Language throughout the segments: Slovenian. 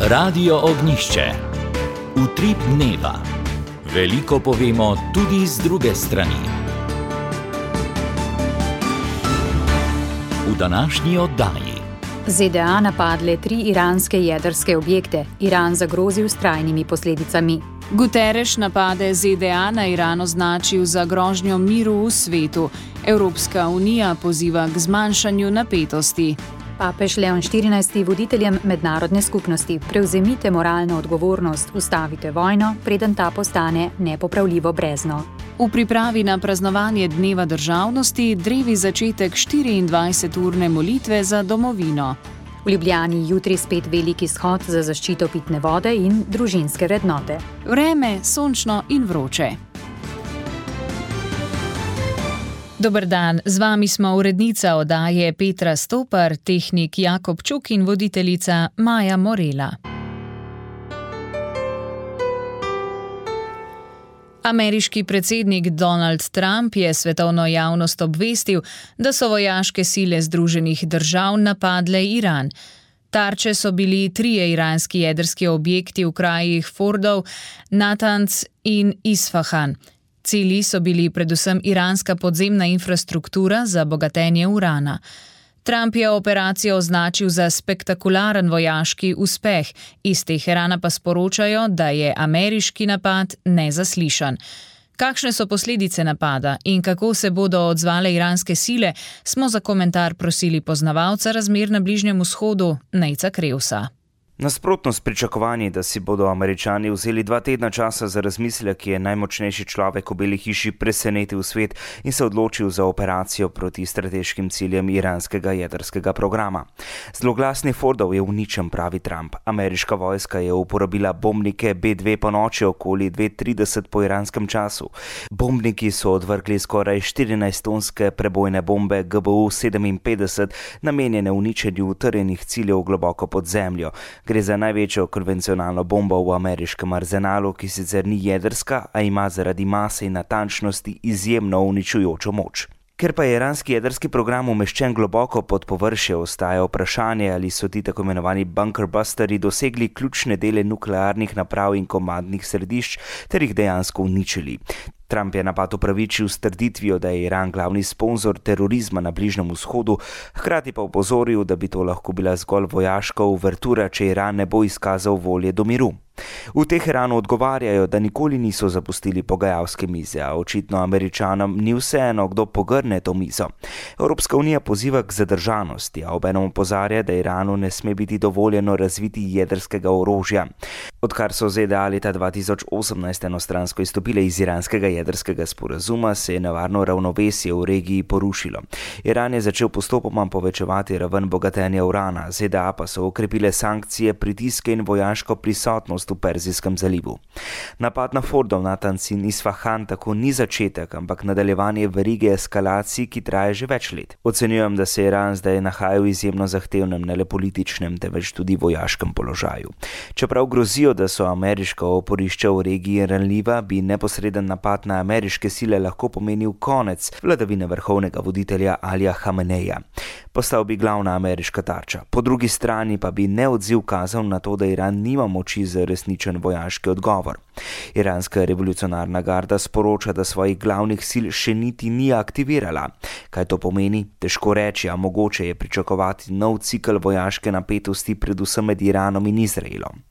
Radio Ognjišče. Utrip dneva. Veliko povemo tudi z druge strani. V današnji oddaji. ZDA napadle 3 iranske jedrske objekte. Iran zagrozil s trajnimi posledicami. Guterres napade ZDA na Iran označil za grožnjo miru v svetu. Evropska unija poziva k zmanjšanju napetosti. Papež Leon XIV. Voditeljem mednarodne skupnosti: prevzemite moralno odgovornost, ustavite vojno, preden ta postane nepopravljivo brezno. V pripravi na praznovanje Dneva državnosti drevi začetek 24-urne molitve za domovino. V Ljubljani jutri spet veliki shod za zaščito pitne vode in družinske vrednote. Vreme sončno in vroče. Dober dan, z vami smo urednica oddaje Petra Stopar, tehnik Jakob Čuk in voditeljica Maja Morela. Ameriški predsednik Donald Trump je svetovno javnost obvestil, da so vojaške sile Združenih držav napadle Iran. Tarče so bili 3 iranski jedrski objekti v krajih Fordov, Natanz in Isfahan. Cilji so bili predvsem iranska podzemna infrastruktura za bogatenje urana. Trump je operacijo označil za spektakularen vojaški uspeh, iz Teherana pa sporočajo, da je ameriški napad nezaslišan. Kakšne so posledice napada in kako se bodo odzvale iranske sile, smo za komentar prosili poznavalca razmer na Bližnjem vzhodu, Nejca Krevsa. Nasprotno s pričakovanji, da si bodo Američani vzeli 2 tedna časa za razmislek, je najmočnejši človek v Beli hiši presenetil svet in se odločil za operacijo proti strateškim ciljem iranskega jedrskega programa. Zloglasni Fordov je uničen, pravi Trump. Ameriška vojska je uporabila bombnike B-2 po noči okoli 2:30 po iranskem času. Bombniki so odvrgli skoraj 14-tonske prebojne bombe GBU-57, namenjene uničenju utrjenih ciljev globoko pod zemljo. Gre za največjo konvencionalno bombo v ameriškem arzenalu, ki sicer ni jedrska, a ima zaradi mase in natančnosti izjemno uničujočo moč. Ker pa je iranski jedrski program umeščen globoko pod površje, ostaja vprašanje, ali so ti tako imenovani bunker busteri dosegli ključne dele nuklearnih naprav in komandnih središč ter jih dejansko uničili. Trump je napad upravičil s trditvijo, da je Iran glavni sponzor terorizma na Bližnjem vzhodu, hkrati pa opozoril, da bi to lahko bila zgolj vojaška uvertura, če Iran ne bo izkazal volje do miru. V Teheranu odgovarjajo, da nikoli niso zapustili pogajalske mize, a očitno Američanom ni vseeno, kdo pogrne to mizo. Evropska unija poziva k zadržanosti, a obenem opozarja, da Iranu ne sme biti dovoljeno razviti jedrskega orožja. Odkar so ZDA leta 2018 enostransko izstopile iz iranskega jedrskega sporazuma, se je nevarno ravnovesje v regiji porušilo. Iran je začel postopoma povečevati raven bogatenja urana, ZDA pa so okrepile sankcije, pritiske in vojaško prisotnost v Perzijskem zalivu. Napad na Fordov, Natanz in Isfahan tako ni začetek, ampak nadaljevanje verige eskalacij, ki traje že več let. Ocenjujem, da se Iran zdaj nahaja v izjemno zahtevnem, ne le političnem, temveč tudi vojaškem položaju. Čeprav grozijo, da so ameriška oporišča v regiji ranljiva, bi neposreden napad na ameriške sile lahko pomenil konec vladavine vrhovnega voditelja Alija Hameneja. Postal bi glavna ameriška tarča. Po drugi strani pa bi neodziv kazal na to, da Iran nima moči za resničen vojaški odgovor. Iranska revolucionarna garda sporoča, da svojih glavnih sil še niti ni aktivirala. Kaj to pomeni? Težko reči, a mogoče je pričakovati nov cikel vojaške napetosti predvsem med Iranom in Izraelom.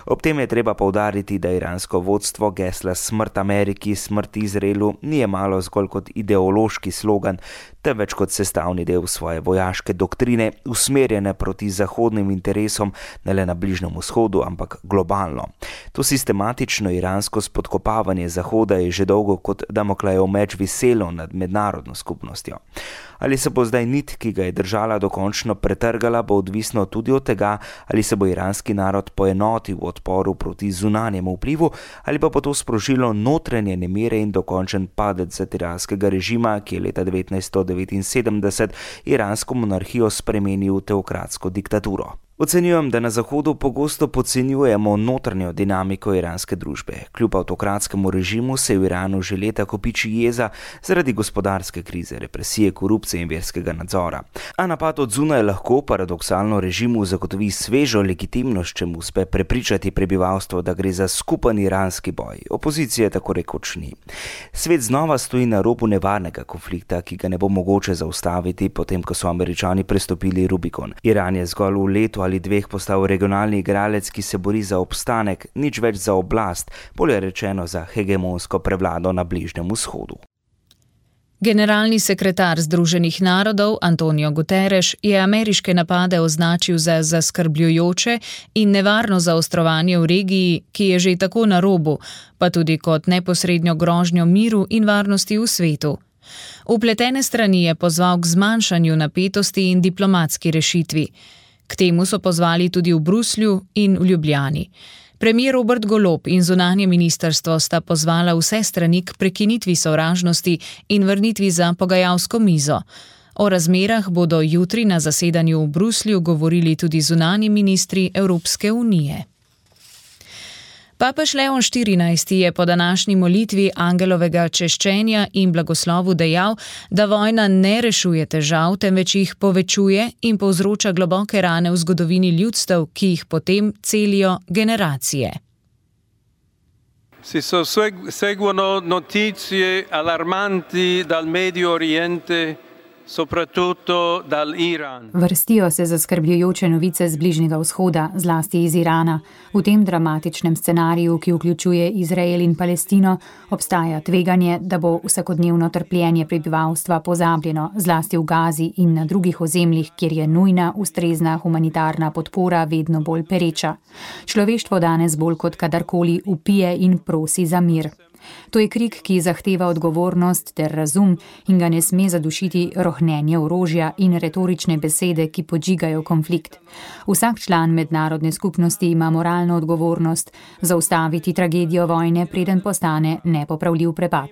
Ob tem je treba poudariti, da iransko vodstvo gesla smrt Ameriki, smrt Izraelu ni jemalo zgolj kot ideološki slogan, temveč kot sestavni del svoje vojaške doktrine, usmerjene proti zahodnim interesom ne le na Bližnjem vzhodu, ampak globalno. To sistematično iransko spodkopavanje Zahoda je že dolgo kot Damoklejev meč viselo nad mednarodno skupnostjo. Ali se bo zdaj nit, ki ga je držala, dokončno pretrgala, bo odvisno tudi od tega, ali se bo iranski narod poenotil v odporu proti zunanjemu vplivu, ali pa bo to sprožilo notranje nemire in dokončen padec satiranskega režima, ki je leta 1979 iransko monarhijo spremenil v teokratsko diktaturo. Ocenjujem, da na Zahodu pogosto podcenjujemo notranjo dinamiko iranske družbe. Kljub avtokratskemu režimu se v Iranu že leta kopiči jeza zaradi gospodarske krize, represije, korupcije in verskega nadzora. A napad od zunaj lahko paradoksalno režimu zagotovi svežo legitimnost, če mu uspe prepričati prebivalstvo, da gre za skupen iranski boj. Opozicije tako rekoč ni. Svet znova stoji na robu nevarnega konflikta, ki ga ne bo mogoče zaustaviti, potem ko so Američani prestopili Rubikon. Iran je zgolj v letu ali dveh postal regionalni igralec, ki se bori za obstanek, nič več za oblast, bolje rečeno za hegemonsko prevlado na Bližnjem vzhodu. Generalni sekretar Združenih narodov Antonio Guterres je ameriške napade označil za zaskrbljujoče in nevarno zaostrovanje v regiji, ki je že tako na robu, pa tudi kot neposrednjo grožnjo miru in varnosti v svetu. Vpletene strani je pozval k zmanjšanju napetosti in diplomatski rešitvi. K temu so pozvali tudi v Bruslju in v Ljubljani. Premijer Robert Golob in zunanje ministrstvo sta pozvala vse strani k prekinitvi sovražnosti in vrnitvi za pogajalsko mizo. O razmerah bodo jutri na zasedanju v Bruslju govorili tudi zunanji ministri Evropske unije. Papež Leon XIV je po današnji molitvi angelovega češčenja in blagoslovu dejal, da vojna ne rešuje težav, temveč jih povečuje in povzroča globoke rane v zgodovini ljudstev, ki jih potem celijo generacije. Si seguono notizie allarmanti dal Medio Oriente, soprattutto dall'Iran. Vrstijo se zaskrbljujoče novice z Bližnjega vzhoda, zlasti iz Irana. V tem dramatičnem scenariju, ki vključuje Izrael in Palestino, obstaja tveganje, da bo vsakodnevno trpljenje prebivalstva pozabljeno, zlasti v Gazi in na drugih ozemljih, kjer je nujna, ustrezna humanitarna podpora vedno bolj pereča. Človeštvo danes bolj kot kadarkoli vpije in prosi za mir. To je krik, ki zahteva odgovornost ter razum in ga ne sme zadušiti rohnenje orožja in retorične besede, ki podžigajo konflikt. Vsak član mednarodne skupnosti ima moralno odgovornost zaustaviti tragedijo vojne, preden postane nepopravljiv prepad.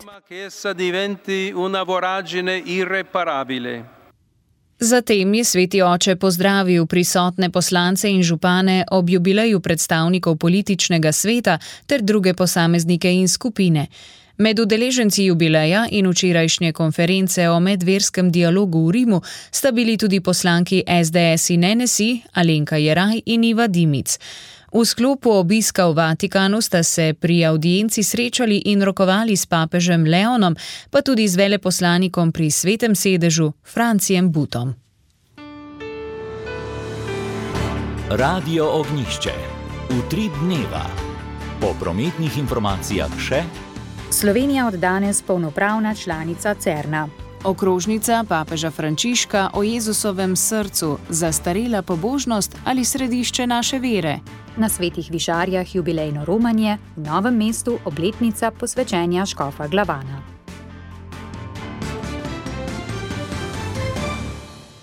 Zatem je sveti oče pozdravil prisotne poslance in župane ob jubileju predstavnikov političnega sveta ter druge posameznike in skupine. Med udeleženci jubileja in včerajšnje konference o medverskem dialogu v Rimu sta bili tudi poslanki SDS in NSI Alenka Jeraj in Iva Dimic. V sklopu obiska v Vatikanu sta se pri avdienci srečali in rokovali s papežem Leonom, pa tudi z veleposlanikom pri Svetem sedežu Francijem Butom. Radio Ognjišče. Utrip dneva. Po prometnih informacijah še: Slovenija od danes polnopravna članica CERN-a. Okrožnica papeža Frančiška o Jezusovem srcu, zastarela pobožnost ali središče naše vere. Na Svetih višarjah jubilejno romanje, v Novem mestu obletnica posvečenja škofa Glavana.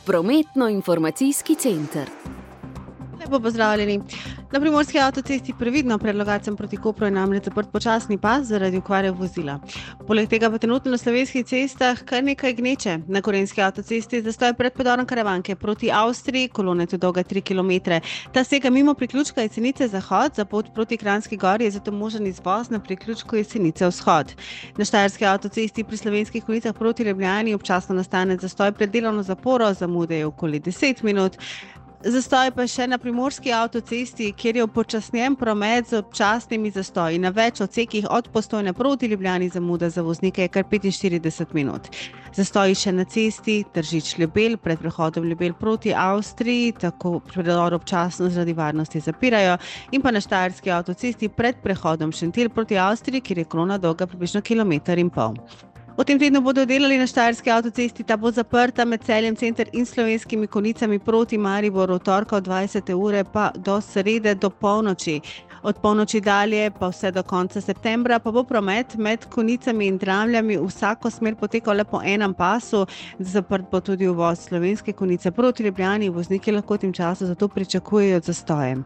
Prometno-informacijski center. Lepo pozdravljeni. Na primorski avtocesti previdno pred Logatcem proti Kopru je namreč zaprt počasni pas zaradi okvare vozila. Poleg tega pa trenutno na slovenskih cestah kar nekaj gneče. Na Gorenjski avtocesti zastoj pred predorom Karavanke proti Avstriji, kolona je dolga 3 km. Ta sega mimo priključka Jesenice Zahod, za pot proti Kranjski Gori je zato možen izvoz na priključku Jesenice Vzhod. Na Štajerski avtocesti pri Slovenskih Konjicah proti Ljubljani občasno nastane zastoj pred delovno zaporo, zamude je okoli 10 minut. Zastoj pa še na primorski avtocesti, kjer je upočasnjen promet z občasnimi zastoji. Na več odsekih od Postojne proti Ljubljani zamuda za voznike je kar 45 minut. Zastoji še na cesti Tržič-Ljubelj pred prehodom Ljubelj proti Avstriji, tako predor občasno zaradi varnosti zapirajo, in pa na Štajerski avtocesti pred prehodom Šentilj proti Avstriji, kjer je kolona dolga približno 1,5 km. V tem tednu bodo delali na Štajerski avtocesti, ta bo zaprta med Celjem center in Slovenskimi Konjicami proti Mariboru od torka od 20. ure pa do srede do polnoči. Od polnoči dalje pa vse do konca septembra pa bo promet med Konjicami in Dramljami vsako smer potekal le po enem pasu. Zaprt bo tudi uvoz Slovenske Konjice proti Ljubljani, vozniki lahko v tem času zato pričakujejo zastoje.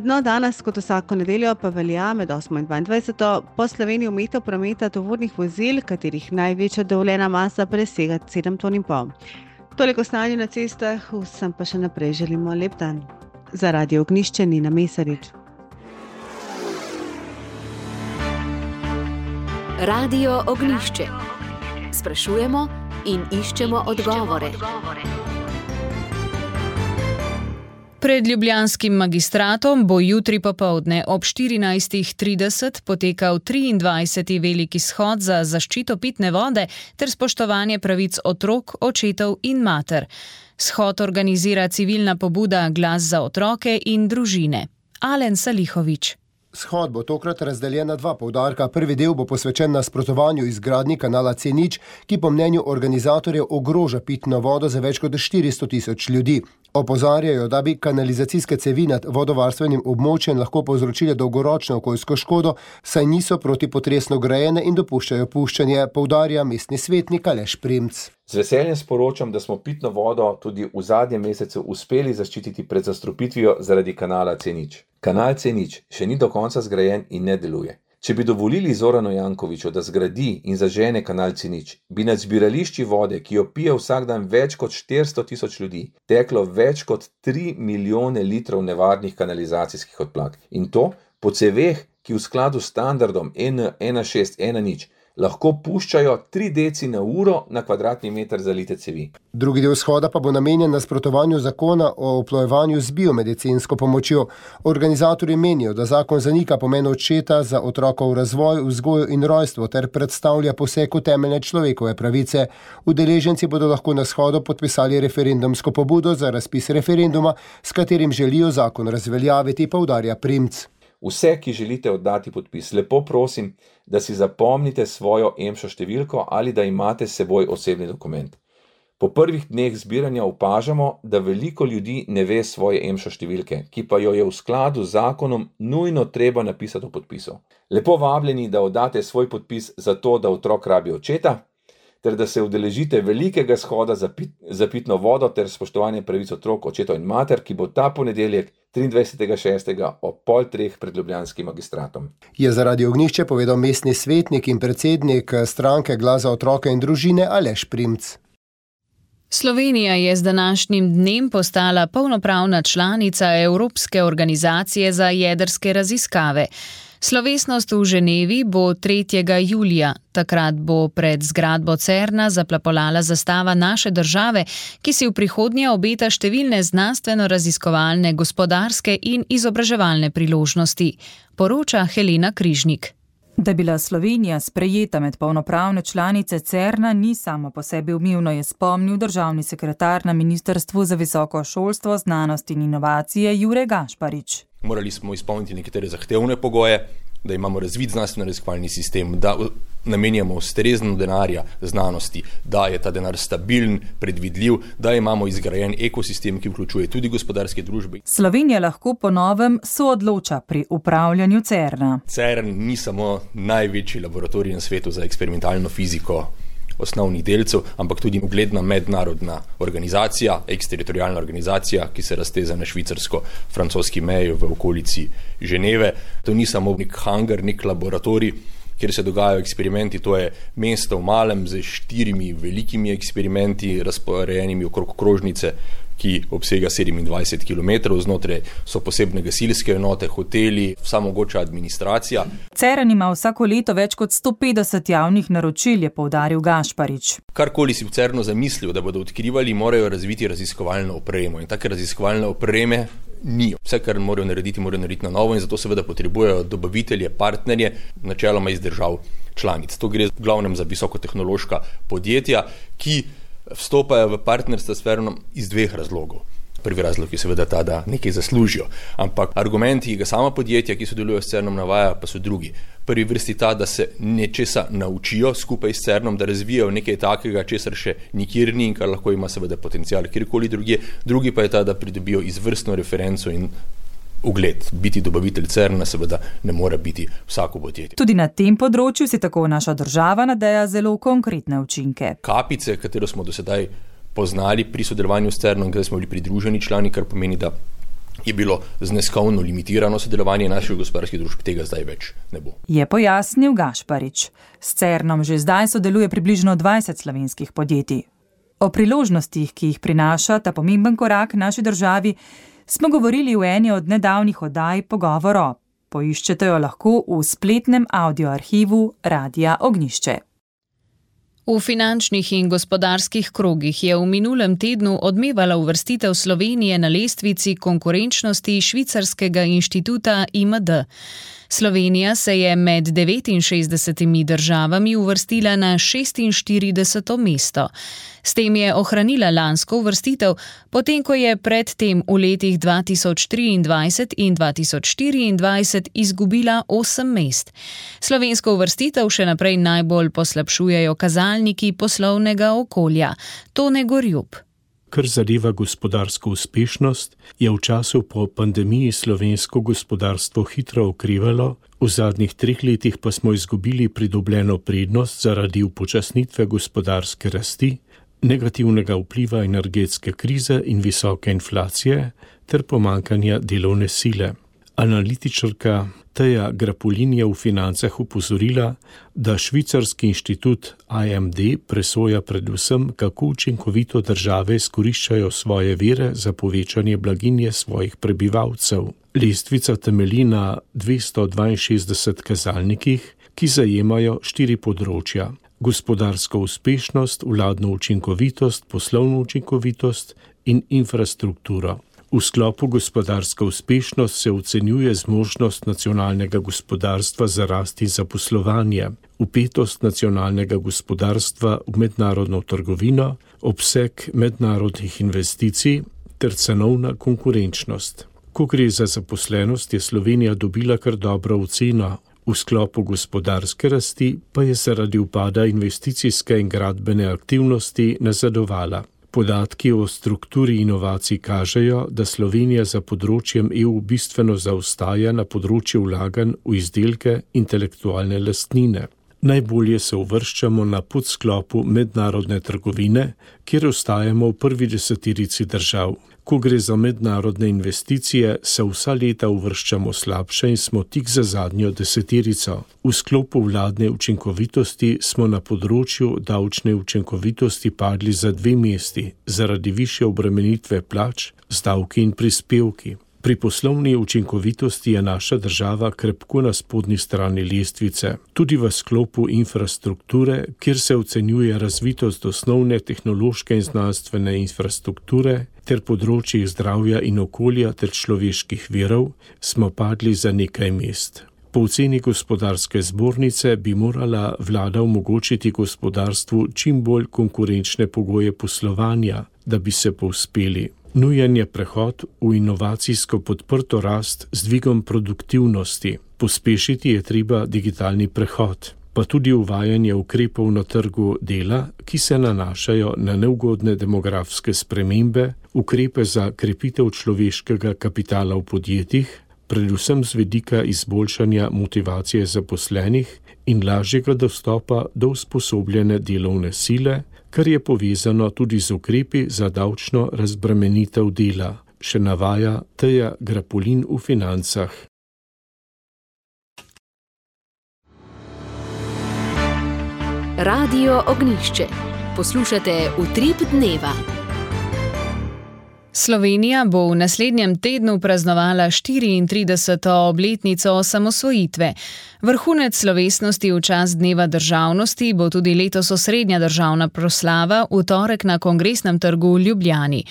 No, danes, kot vsako nedeljo, pa velja med 8. in 22. po Sloveniji omejitev prometa tovornih vozil, katerih največja dovoljena masa presega 7,5 ton. Toliko stanju na cestah, vsem pa še naprej želimo lep dan. Za Radio Ognjišče Nina Mesarič. Radio Ognjišče. Sprašujemo in iščemo odgovore. Pred ljubljanskim magistratom bo jutri popoldne ob 14:30 potekal 23. veliki shod za zaščito pitne vode ter spoštovanje pravic otrok, očetov in mater. Shod organizira civilna pobuda Glas za otroke in družine. Alen Salihović. Shod bo tokrat razdeljen na dva poudarka. Prvi del bo posvečen nasprotovanju izgradnji kanala C0, ki po mnenju organizatorjev ogroža pitno vodo za več kot 400 tisoč ljudi. Opozarjajo, da bi kanalizacijske cevi nad vodovarstvenim območjem lahko povzročile dolgoročno okoljsko škodo, saj niso protipotresno grajene in dopuščajo puščanje, poudarja mestni svetnik Aleš Primc. Z veseljem sporočam, da smo pitno vodo tudi v zadnjem mesecu uspeli zaščititi pred zastrupitvijo zaradi kanala C0. Kanal C0 še ni do konca zgrajen in ne deluje. Če bi dovolili Zoranu Jankoviću, da zgradi in zažene kanal C0, bi nad zbirališči vode, ki jo pije vsak dan več kot 400 tisoč ljudi, teklo več kot 3 milijone litrov nevarnih kanalizacijskih odplak. In to po ceveh, ki v skladu s standardom N1610 lahko puščajo 3 deci na uro na kvadratni meter zalite cevi. Drugi del shoda pa bo namenjen nasprotovanju zakona o oplojevanju z biomedicinsko pomočjo. Organizatorji menijo, da zakon zanika pomen očeta za otrokov razvoj, vzgojo in rojstvo ter predstavlja poseg v temeljne človekove pravice. Udeleženci bodo lahko na shodu podpisali referendumsko pobudo za razpis referenduma, s katerim želijo zakon razveljaviti, poudarja Primc. Vse, ki želite oddati podpis, lepo prosim, da si zapomnite svojo EMŠO številko ali da imate s seboj osebni dokument. Po prvih dneh zbiranja opažamo, da veliko ljudi ne ve svoje EMŠO številke, ki pa jo je v skladu z zakonom nujno treba napisati v podpisu. Lepo vabljeni, da oddate svoj podpis za to, da otrok rabi očeta, ter da se udeležite velikega shoda za pitno vodo ter spoštovanje pravic otrok, očetov in mater, ki bo ta ponedeljek 23.6. ob 2:30 pred ljubljanskim magistratom. Je za Radio Ognjišče povedal mestni svetnik in predsednik stranke Glas za otroke in družine Aleš Primc. Slovenija je z današnjim dnem postala polnopravna članica Evropske organizacije za jedrske raziskave. Slovesnost v Ženevi bo 3. julija. Takrat bo pred zgradbo Cerna zaplapolala zastava naše države, ki si v prihodnje obeta številne znanstveno-raziskovalne, gospodarske in izobraževalne priložnosti, poroča Helena Križnik. Da je bila Slovenija sprejeta med polnopravne članice Cerna, ni samo po sebi umevno, je spomnil državni sekretar na Ministrstvu za visoko šolstvo, znanost in inovacije Jure Gašparič. Morali smo izpolniti nekatere zahtevne pogoje, da imamo razvit znanstveno-raziskovalni sistem, da namenjamo ustrezno denarja znanosti, da je ta denar stabilen, predvidljiv, da imamo izgrajen ekosistem, ki vključuje tudi gospodarske družbe. Slovenija lahko po novem soodloča pri upravljanju Cerna. CERN ni samo največji laboratorij na svetu za eksperimentalno fiziko osnovnih delcev, ampak tudi ugledna mednarodna organizacija, eksteritorialna organizacija, ki se razteza na švicarsko-francoski meji v okolici Ženeve. To ni samo nek hangar, nek laboratorij, kjer se dogajajo eksperimenti, to je mesto v malem z 4 velikimi eksperimenti, razporejenimi okrog krožnice, ki obsega 27 km, znotraj so posebne gasilske enote, hoteli, vsa mogoča administracija. CERN ima vsako leto več kot 150 javnih naročil, je poudaril Gašparič. Karkoli si v CERNu zamislil, da bodo odkrivali, morajo razviti raziskovalno opremo in take raziskovalne opreme ni. Vse, kar morajo narediti na novo in zato seveda potrebujejo dobavitelje, partnerje, načeloma iz držav članic. To gre v glavnem za visokotehnološka podjetja, ki vstopajo v partnerstvo s CERNom iz 2 razlogov. Prvi razlog je seveda ta, da nekaj zaslužijo, ampak argumenti, ki ga sama podjetja, ki sodelujo s CERNom, navaja, pa so drugi. Prvi vrsti ta, da se nečesa naučijo skupaj s CERNom, da razvijajo nekaj takega, česar še nikjer ni in kar lahko ima seveda potencial kjerkoli drugje. Drugi pa je ta, da pridobijo izvrstno referenco in ugled. Biti dobavitelj CERNa seveda ne mora biti vsako podjetje. Tudi na tem področju si tako naša država nadeja zelo konkretne učinke. Kapice, katero smo do sedaj poznali pri sodelovanju s CERNom, kjer smo bili pridruženi člani, kar pomeni, da je bilo zneskovno limitirano sodelovanje naših gospodarskih družb, tega zdaj več ne bo. Je pojasnil Gašparič. S CERNom že zdaj sodeluje približno 20 slovenskih podjetij. O priložnostih, ki jih prinaša ta pomemben korak naši državi, smo govorili v eni od nedavnih oddaj Pogovoro. Poiščete jo lahko v spletnem audioarhivu Radia Ognjišče. V finančnih in gospodarskih krogih je v minulem tednu odmevala uvrstitev Slovenije na lestvici konkurenčnosti švicarskega inštituta IMD. Slovenija se je med 69 državami uvrstila na 46. mesto. S tem je ohranila lansko uvrstitev, potem ko je predtem v letih 2023 in 2024 izgubila 8 mest. Slovensko uvrstitev še naprej najbolj poslabšujejo kazalniki poslovnega okolja. Tone Gorjup. Kar zadeva gospodarsko uspešnost, je v času po pandemiji slovensko gospodarstvo hitro okrevalo, v zadnjih 3 letih pa smo izgubili pridobljeno prednost zaradi upočasnitve gospodarske rasti, negativnega vpliva energetske krize in visoke inflacije ter pomanjkanja delovne sile. Analitičarka Teja Grapolin je v Financah opozorila, da švicarski inštitut IMD presoja predvsem, kako učinkovito države izkoriščajo svoje vire za povečanje blaginje svojih prebivalcev. Lestvica temelji na 262 kazalnikih, ki zajemajo 4 področja: gospodarsko uspešnost, vladno učinkovitost, poslovno učinkovitost in infrastrukturo. V sklopu gospodarska uspešnost se ocenjuje zmožnost nacionalnega gospodarstva za rast in zaposlovanje, vpetost nacionalnega gospodarstva v mednarodno trgovino, obseg mednarodnih investicij ter cenovna konkurenčnost. Ko gre za zaposlenost, je Slovenija dobila kar dobro oceno. V sklopu gospodarske rasti pa je zaradi upada investicijske in gradbene aktivnosti nazadovala. Podatki o strukturi inovacij kažejo, da Slovenija za področjem EU bistveno zaostaja na področju vlaganj v izdelke intelektualne lastnine. Najbolje se uvrščamo na podsklopu mednarodne trgovine, kjer ostajamo v prvi 10 držav. Ko gre za mednarodne investicije, se vsa leta uvrščamo slabše in smo tik za zadnjo 10. V sklopu vladne učinkovitosti smo na področju davčne učinkovitosti padli za 2 mesti zaradi višje obremenitve plač z davki in prispevki. Pri poslovni učinkovitosti je naša država krepko na spodnji strani lestvice. Tudi v sklopu infrastrukture, kjer se ocenjuje razvitost osnovne tehnološke in znanstvene infrastrukture ter področjih zdravja in okolja ter človeških virov, smo padli za nekaj mest. Po oceni gospodarske zbornice bi morala vlada omogočiti gospodarstvu čim bolj konkurenčne pogoje poslovanja, da bi se povzpeli. Nujen je prehod v inovacijsko podprto rast z dvigom produktivnosti. Pospešiti je treba digitalni prehod, pa tudi uvajanje ukrepov na trgu dela, ki se nanašajo na neugodne demografske spremembe, ukrepe za krepitev človeškega kapitala v podjetjih, predvsem z vidika izboljšanja motivacije zaposlenih in lažjega dostopa do usposobljene delovne sile, kar je povezano tudi z ukrepi za davčno razbremenitev dela, še navaja Teja Grapolin v Financah. Radio Ognjišče. Poslušate Utrip dneva. Slovenija bo v naslednjem tednu praznovala 34. obletnico osamosvojitve. Vrhunec slovesnosti v čast Dneva državnosti bo tudi letos osrednja državna proslava v torek na Kongresnem trgu v Ljubljani.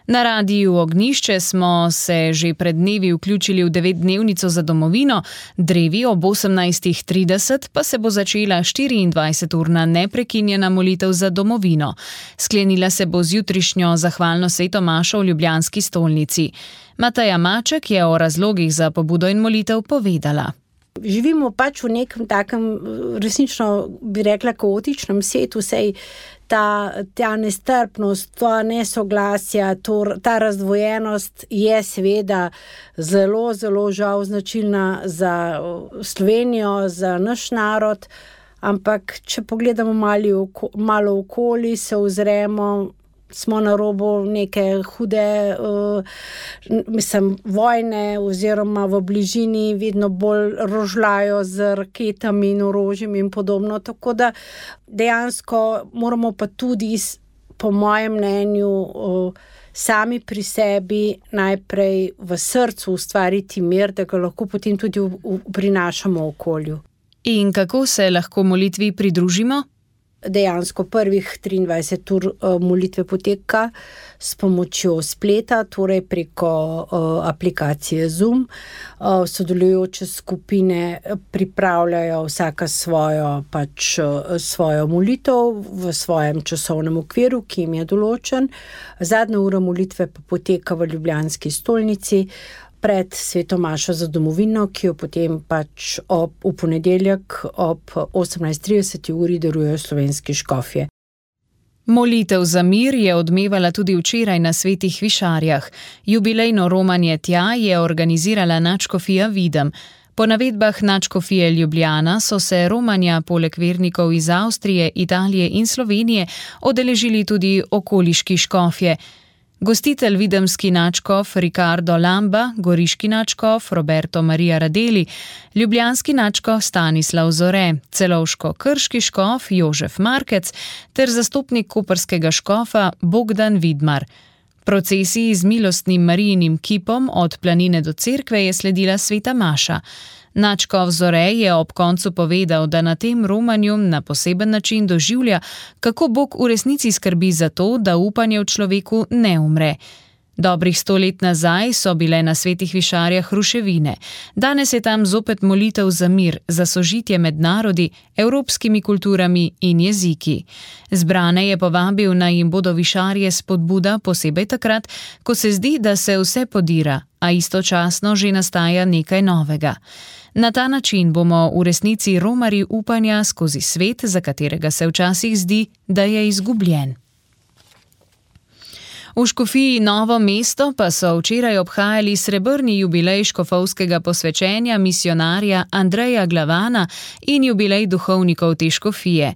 Na Radiu Ognjišče smo se že pred dnevi vključili v 9-dnevnico za domovino, drevi ob 18:30 pa se bo začela 24-urna neprekinjena molitev za domovino. Sklenila se bo z jutrišnjo zahvalno sveto mašo v ljubljanski stolnici. Mateja Maček je o razlogih za pobudo in molitev povedala. Živimo pač v nekem takem, resnično bi rekla, kaotičnem svetu, sej ta nestrpnost, ta nesoglasja, ta razdvojenost je seveda zelo, zelo žal značilna za Slovenijo, za naš narod, ampak če pogledamo malo okoli, se ozremo, smo na robu neke hude vojne oziroma v bližini vedno bolj rožljajo z raketami in orožjem in podobno. Tako da dejansko moramo pa tudi po mojem mnenju, sami pri sebi najprej v srcu ustvariti mir, da ga lahko potem tudi prinašamo okolju. In kako se lahko molitvi pridružimo? Dejansko prvih 23 ur molitve poteka s pomočjo spleta, torej preko aplikacije Zoom. Sodelujoče skupine pripravljajo vsaka svojo molitev v svojem časovnem okviru, ki jim je določen. Zadnja ura molitve pa poteka v ljubljanski stolnici pred sveto mašo za domovino, ki jo potem v ponedeljek ob 18:30 uri darujejo slovenski škofje. Molitev za mir je odmevala tudi včeraj na Svetih Višarjah. Jubilejno romanje tja je organizirala nadškofija Videm. Po navedbah nadškofije Ljubljana so se romanja poleg vernikov iz Avstrije, Italije in Slovenije odeležili tudi okoliški škofje. Gostitelj videmski nadškof Ricardo Lamba, goriški nadškof Roberto Maria Radeli, ljubljanski nadškof Stanislav Zore, celovško-krški škof Jožef Markec ter zastopnik koprskega škofa Bogdan Vidmar. Procesiji z milostnim Marijinim kipom od planine do cerkve je sledila sveta maša. Nadškof Zore je ob koncu povedal, da na tem romanju na poseben način doživlja, kako Bog v resnici skrbi za to, da upanje v človeku ne umre. Dobrih 100 let nazaj so bile na Svetih Višarjah ruševine. Danes je tam zopet molitev za mir, za sožitje med narodi, evropskimi kulturami in jeziki. Zbrane je povabil, naj jim bodo višarje spodbuda, posebej takrat, ko se zdi, da se vse podira, a istočasno že nastaja nekaj novega. Na ta način bomo v resnici romari upanja skozi svet, za katerega se včasih zdi, da je izgubljen. V škofiji Novo mesto pa so včeraj obhajali srebrni jubilej škofovskega posvečenja misionarja Andreja Glavana in jubilej duhovnikov te škofije.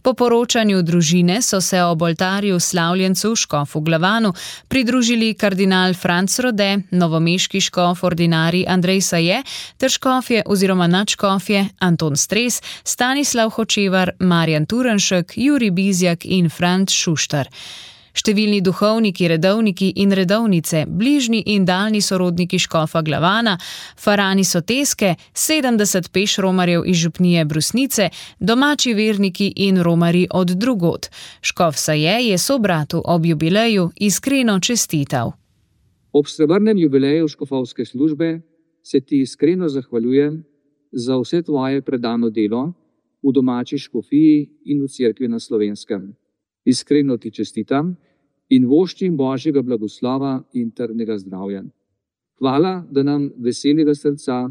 Po poročanju družine so se ob oltarju slavljencu škofu Glavanu pridružili kardinal Franc Rode, novomeški škof ordinarij Andrej Saje ter škofje oziroma nadškofje Anton Stres, Stanislav Hočevar, Marjan Turenšek, Jurij Bizjak in Franc Šuštar. Številni duhovniki, redovniki in redovnice, bližnji in daljni sorodniki škofa Glavana, farani Soteske, 70 peš romarjev iz župnije Brusnice, domači verniki in romari od drugod. Škof Saje je sobratu ob jubileju iskreno čestital. Ob srebrnem jubileju škofovske službe se ti iskreno zahvaljujem za vse tvoje predano delo v domači škofiji in v cerkvi na Slovenskem. Iskreno ti čestitam in voščim Božjega blagoslova in trdnega zdravja. Hvala, da nam veselega srca,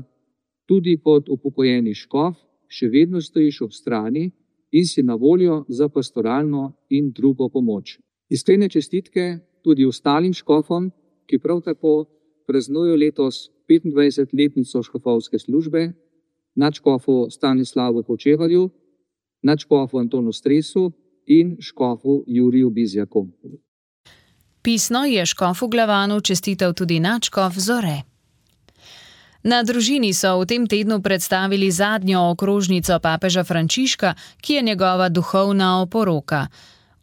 tudi kot upokojeni škof, še vedno stojiš ob strani in si na voljo za pastoralno in drugo pomoč. Iskrene čestitke tudi ostalim škofom, ki prav tako praznujejo letos 25-letnico škofovske službe, nadškofu Stanislavu Hočevarju, nadškofu Antonu Stresu in škofu Juriju Bizjaku. Pisno je škofu Glavanu čestital tudi nadškof Zore. Na družini so v tem tednu predstavili zadnjo okrožnico papeža Frančiška, ki je njegova duhovna oporoka.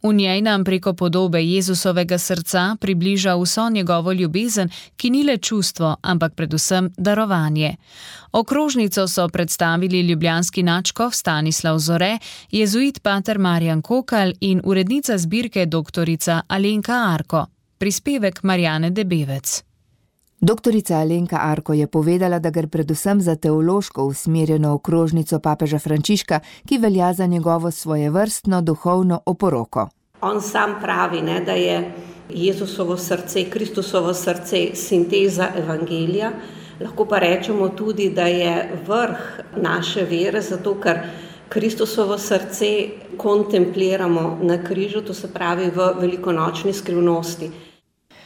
V njej nam preko podobe Jezusovega srca približa vso njegovo ljubezen, ki ni le čustvo, ampak predvsem darovanje. Okrožnico so predstavili ljubljanski nadškof Stanislav Zore, jezuit pater Marjan Kokal in urednica zbirke doktorica Alenka Arko. Prispevek Marjane Debevec. Doktorica Alenka Arko je povedala, da gre predvsem za teološko usmerjeno okrožnico papeža Frančiška, ki velja za njegovo svojevrstno duhovno oporoko. On sam pravi, da je Jezusovo srce, Kristusovo srce sinteza evangelija. Lahko pa rečemo tudi, da je vrh naše vere, zato ker Kristusovo srce kontempliramo na križu, to se pravi v velikonočni skrivnosti.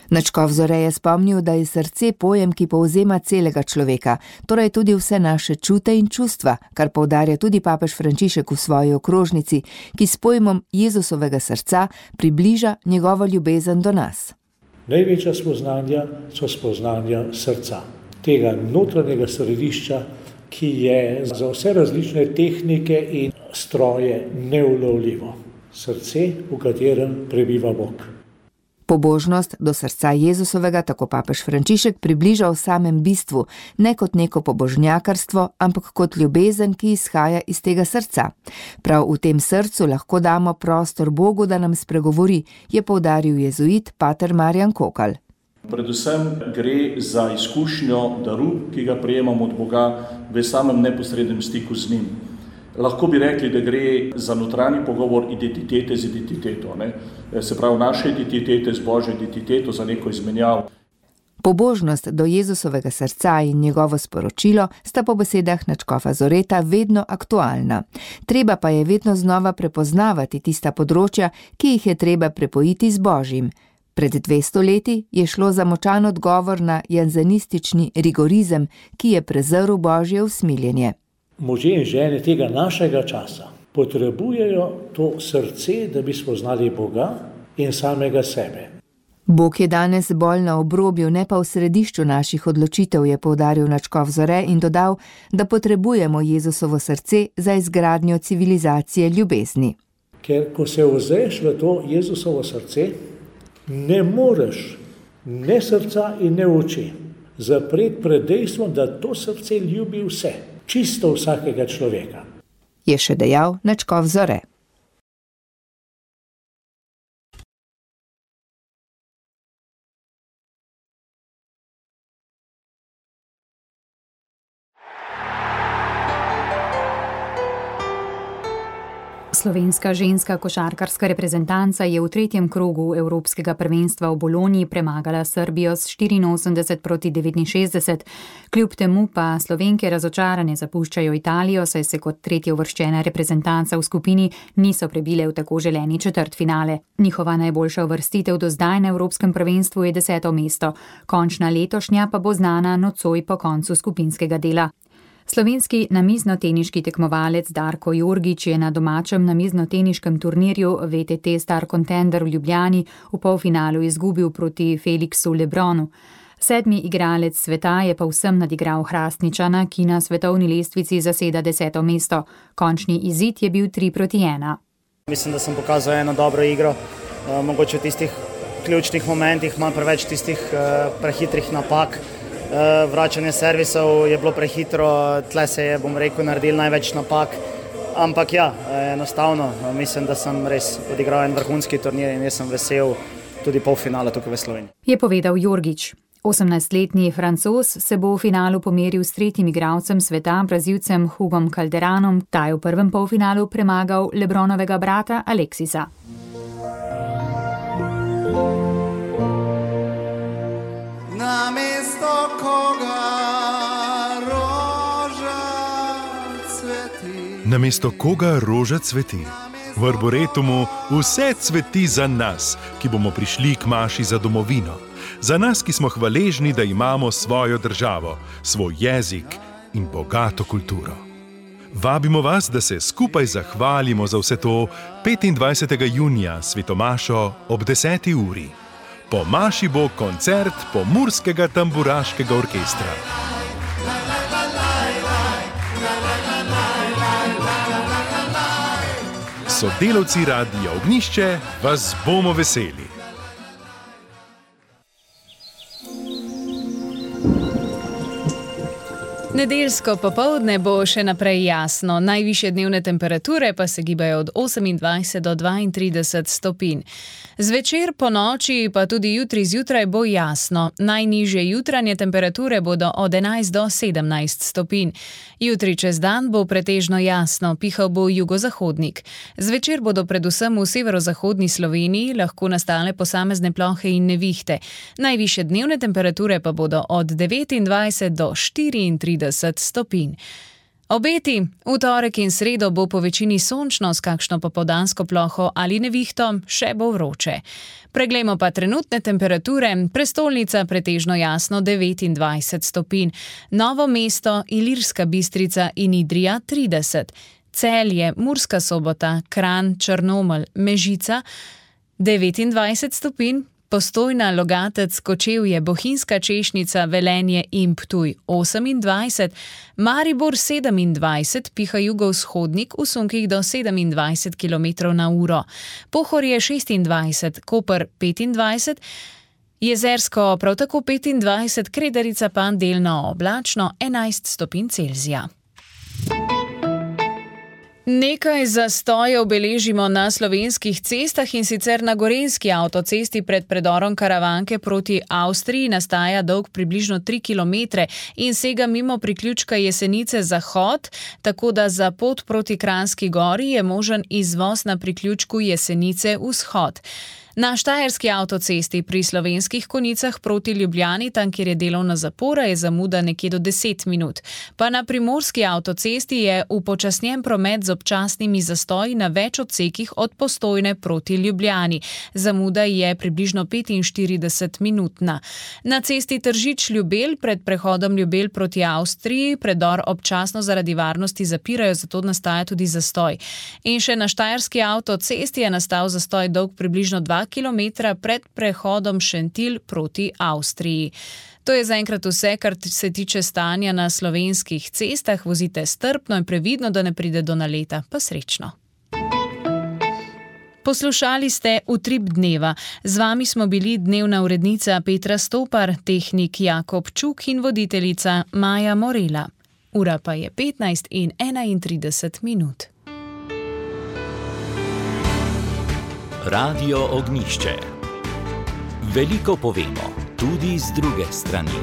Nadškof Zore je spomnil, da je srce pojem, ki povzema celega človeka, torej tudi vse naše čute in čustva, kar poudarja tudi papež Frančišek v svoji okrožnici, ki s pojmom Jezusovega srca približa njegovo ljubezen do nas. Največja spoznanja so spoznanja srca, tega notranjega središča, ki je za vse različne tehnike in stroje neulovljivo. srce, v katerem prebiva Bog. Pobožnost do srca Jezusovega tako papež Frančišek približa v samem bistvu, ne kot neko pobožnjakarstvo, ampak kot ljubezen, ki izhaja iz tega srca. Prav v tem srcu lahko damo prostor Bogu, da nam spregovori, je poudaril jezuit pater Marjan Kokal. Predvsem gre za izkušnjo daru, ki ga prejemamo od Boga v samem neposrednem stiku z njim. Lahko bi rekli, da gre za notranji pogovor identitete z identiteto. Se pravi, naše identitete z Božjo identiteto za neko izmenjavo. Pobožnost do Jezusovega srca in njegovo sporočilo sta po besedah nadškofa Zoreta vedno aktualna. Treba pa je vedno znova prepoznavati tista področja, ki jih je treba prepojiti z Božjim. Pred 200 leti je šlo za močan odgovor na janzenistični rigorizem, ki je prezrl Božje usmiljenje. Možje in žene tega našega časa potrebujejo to srce, da bi spoznali Boga in samega sebe. Bog je danes bolj na obrobju, ne pa v središču naših odločitev, je poudaril nadškof Zore in dodal, da potrebujemo Jezusovo srce za izgradnjo civilizacije ljubezni. Ker ko se ozreš v to Jezusovo srce, ne moreš ne srca in ne oči zapreti pred dejstvom, da to srce ljubi vse. Čisto vsakega človeka. Je še dejal nadškof Zore. Slovenska ženska košarkarska reprezentanca je v 3. krogu Evropskega prvenstva v Bologni premagala Srbijo s 84-69. Kljub temu pa Slovenke razočarane zapuščajo Italijo, saj se kot tretjeuvrščena reprezentanca v skupini niso prebile v tako želeni četrtfinale. Njihova najboljša uvrstitev do zdaj na Evropskem prvenstvu je 10. mesto. Končna letošnja pa bo znana nocoj po koncu skupinskega dela. Slovenski namiznoteniški tekmovalec Darko Jorgič je na domačem namiznoteniškem turnirju VTT Star Contender v Ljubljani v polfinalu izgubil proti Felixu Lebronu. 7. igralec sveta je pa vsem nadigral Hrastničana, ki na svetovni lestvici zaseda 10. mesto. Končni izid je bil 3-1. Mislim, da sem pokazal eno dobro igro. Mogoče v tistih ključnih momentih imam preveč tistih prehitrih napak. Vračanje servisov je bilo prehitro, tle se je, bom rekel, naredil največ napak, ampak ja, enostavno, mislim, da sem res odigral en vrhunski turnir in jaz sem vesel tudi polfinala tukaj v Sloveniji. Je povedal Jorgič. 18-letni Francoz se bo v finalu pomeril s 3. igralcem sveta, Brazilcem Hugom Calderanom, ta je v prvem polfinalu premagal Lebronovega brata Aleksisa. Namesto koga roža cveti. Namesto koga roža cveti. V Arboretumu vse cveti za nas, ki bomo prišli k maši za domovino. Za nas, ki smo hvaležni, da imamo svojo državo, svoj jezik in bogato kulturo. Vabimo vas, da se skupaj zahvalimo za vse to 25. junija svetomašo ob 10. uri. Po maši bo koncert Pomurskega tamburaškega orkestra. Sodelavci Radia Ognjišče vas bomo veseli. Nedeljsko popoldne bo še naprej jasno, najvišje dnevne temperature pa se gibajo od 28 do 32 stopinj. Zvečer po noči pa tudi jutri zjutraj bo jasno, najnižje jutranje temperature bodo od 11 do 17 stopinj. Jutri čez dan bo pretežno jasno, pihal bo jugozahodnik. Zvečer bodo predvsem v severozahodni Sloveniji lahko nastale posamezne plohe in nevihte. Najvišje dnevne temperature pa bodo od 29 do 34 stopinj. Obeti, v torek in sredo bo po večini sončno s kakšno popoldansko ploho ali nevihto, še bo vroče. Preglejmo pa trenutne temperature, prestolnica pretežno jasno 29 stopinj, Novo mesto, Ilirska Bistrica in Idrija 30, Celje, Murska Sobota, Kranj, Črnomelj, Mežica 29 stopinj, Postojna, Logatec, Kočevje, Bohinjska Češnica, Velenje in Ptuj 28, Maribor 27, piha jugovzhodnik v sunkih do 27 km/h, Pohorje 26, Koper 25, Jezersko prav tako 25, Kredarica pa delno oblačno 11 stopinj Celzija. Nekaj zastojev beležimo na slovenskih cestah, in sicer na gorenjski avtocesti pred predorom Karavanke proti Avstriji nastaja dolg približno 3 km in sega mimo priključka Jesenice-Zahod, tako da za pot proti Kranjski Gori je možen izvoz na priključku Jesenice-Vzhod. Na štajerski avtocesti pri Slovenskih Konjicah proti Ljubljani, tam kjer je delovna zapora, je zamuda nekje do 10 minut. Pa na primorski avtocesti je upočasnjen promet z občasnimi zastoji na več odsekih od Postojne proti Ljubljani. Zamuda je približno 45-minutna. Na cesti Tržič-Ljubelj pred prehodom Ljubelj proti Avstriji predor občasno zaradi varnosti zapirajo, zato nastaja tudi zastoj. In še na štajerski avtocesti je nastal zastoj dolg približno 2 km pred prehodom Šentilj proti Avstriji. To je zaenkrat vse, kar se tiče stanja na slovenskih cestah. Vozite strpno in previdno, da ne pride do naleta. Pa srečno. Poslušali ste Utrip dneva. Z vami smo bili dnevna urednica Petra Stopar, tehnik Jakob Čuk in voditeljica Maja Morela. Ura pa je 15:31. Radio Ognjišče. Veliko povemo, tudi z druge strani.